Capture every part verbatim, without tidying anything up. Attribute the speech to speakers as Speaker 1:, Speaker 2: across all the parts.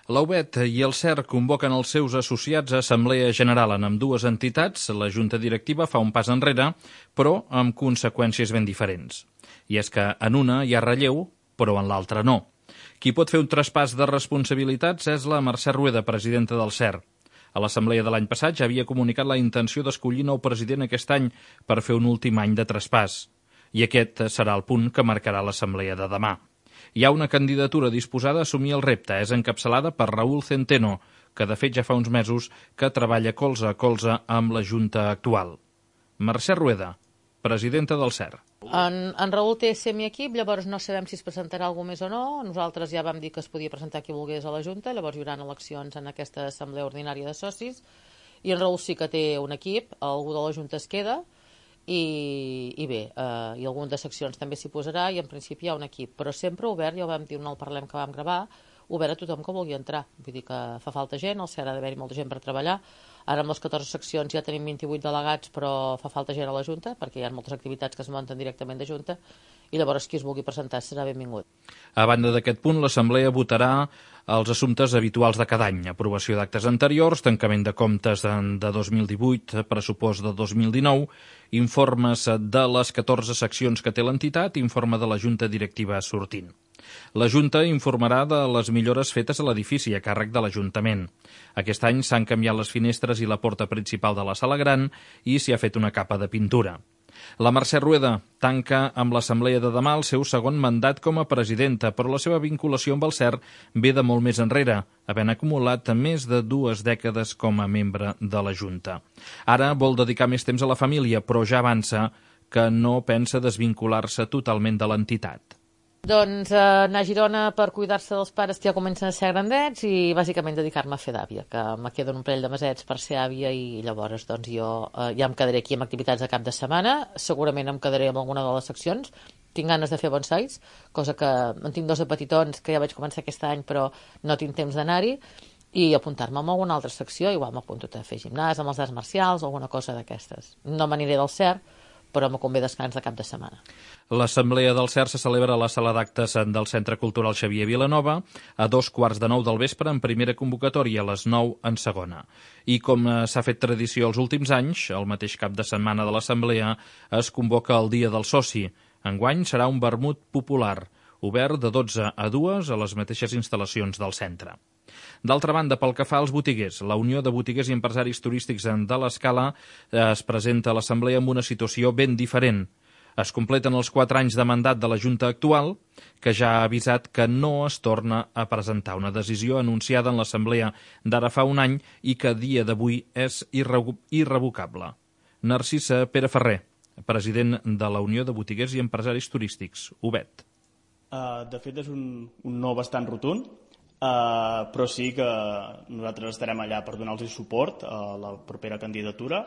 Speaker 1: La U B E T i el C E R convoquen els seus associats a Assemblea General en ambdues entitats. La Junta Directiva fa un pas enrere, però amb conseqüències ben diferents. I és que en una hi ha relleu, però en l'altra no. Qui pot fer un traspàs de responsabilitats és la Mercè Rueda, presidenta del C E R. A l'assemblea de l'any passat ja havia comunicat la intenció d'escollir nou president aquest any per fer un últim any de traspàs. I aquest serà el punt que marcarà l'assemblea de demà. Hi ha una candidatura disposada a assumir el repte. És encapçalada per Raúl Centeno, que de fet ja fa uns mesos que treballa colze a colze amb la Junta actual. Mercè Rueda, presidenta del C E R.
Speaker 2: En, en Raül té semiequip, llavors no sabem si es presentarà algú més o no. Nosaltres ja vam dir que es podia presentar qui volgués a la Junta, llavors hi haurà eleccions en aquesta assemblea ordinària de socis, i en Raül sí que té un equip, algú de la Junta es queda, i, i bé, eh, i algun de seccions també s'hi posarà, i en principi hi ha un equip, però sempre obert, ja ho vam dir en el Parlem que vam gravar, obert a tothom que vulgui entrar. Vull dir que fa falta gent, al C E R ha d'haver-hi molta gent per treballar. Ara amb les catorze seccions ja tenim vint-i-vuit delegats, però fa falta gent a la Junta, perquè hi ha moltes activitats que es munten directament de Junta, i llavors qui es vulgui presentar serà benvingut.
Speaker 1: A banda d'aquest punt, l'Assemblea votarà els assumptes habituals de cada any: aprovació d'actes anteriors, tancament de comptes de dos mil divuit, pressupost de dos mil dinou, informes de les catorze seccions que té l'entitat, informe de la Junta Directiva sortint. La Junta informarà de les millores fetes a l'edifici a càrrec de l'Ajuntament. Aquest any s'han canviat les finestres i la porta principal de la sala gran i s'hi ha fet una capa de pintura. La Mercè Rueda tanca amb l'assemblea de demà el seu segon mandat com a presidenta, però la seva vinculació amb el C E R ve de molt més enrere, havent acumulat més de dues dècades com a membre de la Junta. Ara vol dedicar més temps a la família, però ja avança que no pensa desvincular-se totalment de l'entitat.
Speaker 2: Doncs eh, anar a Girona per cuidar-se dels pares que ja comencen a ser grandets i bàsicament dedicar-me a fer d'àvia, que me queden un parell de mesets per ser àvia, i llavors doncs, jo eh, ja em quedaré aquí amb activitats de cap de setmana, segurament em quedaré amb alguna de les seccions. Tinc ganes de fer bonsais, cosa que en tinc dos de petitons que ja vaig començar aquest any però no tinc temps d'anar-hi, i apuntar-me en alguna altra secció. Igual m'apunto a fer gimnàs amb els arts marcials o alguna cosa d'aquestes. No m'aniré del C E R, però me convé descans de cap de setmana.
Speaker 1: L'assemblea del C E R se celebra a la sala d'actes del Centre Cultural Xavier Vilanova a dos quarts de nou del vespre en primera convocatòria, a les nou en segona. I com s'ha fet tradició els últims anys, el mateix cap de setmana de l'assemblea es convoca el Dia del Soci. Enguany serà un vermut popular, obert de dotze a dues a les mateixes instal·lacions del centre. D'altra banda, pel que fa als botiguers, la Unió de Botiguers i Empresaris Turístics de l'Escala es presenta a l'assemblea amb una situació ben diferent. Es completen els quatre anys de mandat de la Junta actual, que ja ha avisat que no es torna a presentar, una decisió anunciada en l'assemblea d'ara fa un any i que a dia d'avui és irrevocable. Narcisa Pereferrer, president de la Unió de Botiguers i Empresaris Turístics, U B E T.
Speaker 3: Uh, de fet, és un, un no bastant rotund, uh, però sí que nosaltres estarem allà per donar-los suport a la propera candidatura.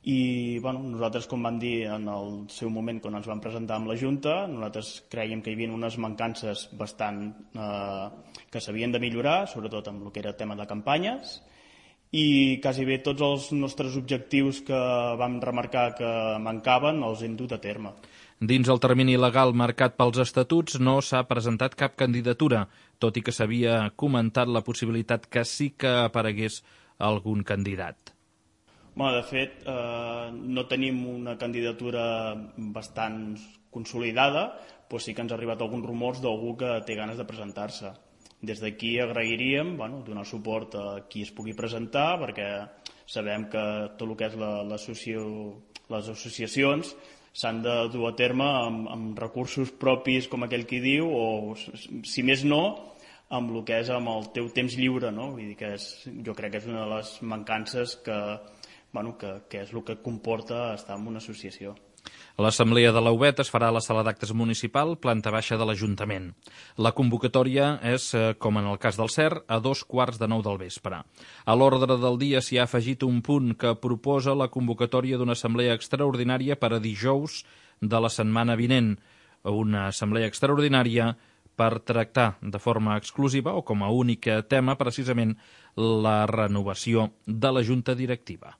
Speaker 3: I bueno, nosaltres, com vam dir en el seu moment quan ens vam presentar amb la Junta, nosaltres creiem que hi havia unes mancances bastant eh, que s'havien de millorar, sobretot amb el que era tema de campanyes, i quasi bé tots els nostres objectius que vam remarcar que mancaven els hem dut a terme.
Speaker 1: Dins el termini legal marcat pels estatuts no s'ha presentat cap candidatura, tot i que s'havia comentat la possibilitat que sí que aparegués algun candidat.
Speaker 3: Bueno, de fet, eh, no tenim una candidatura bastant consolidada, però sí que ens ha arribat alguns rumors d'algú que té ganes de presentar-se. Des d'aquí agrairíem bueno, donar suport a qui es pugui presentar, perquè sabem que tot el que és la, les associacions s'han de dur a terme amb, amb recursos propis, com aquell qui diu, o, si més no, amb el que és amb el teu temps lliure, no? Vull dir que és, jo crec que és una de les mancances que Bueno, que, que és el que comporta estar en una associació.
Speaker 1: L'assemblea de la U B E T es farà a la sala d'actes municipal, planta baixa de l'Ajuntament. La convocatòria és, com en el cas del C E R, a dos quarts de nou del vespre. A l'ordre del dia s'hi ha afegit un punt que proposa la convocatòria d'una assemblea extraordinària per a dijous de la setmana vinent. Una assemblea extraordinària per tractar de forma exclusiva o com a únic tema precisament la renovació de la Junta Directiva.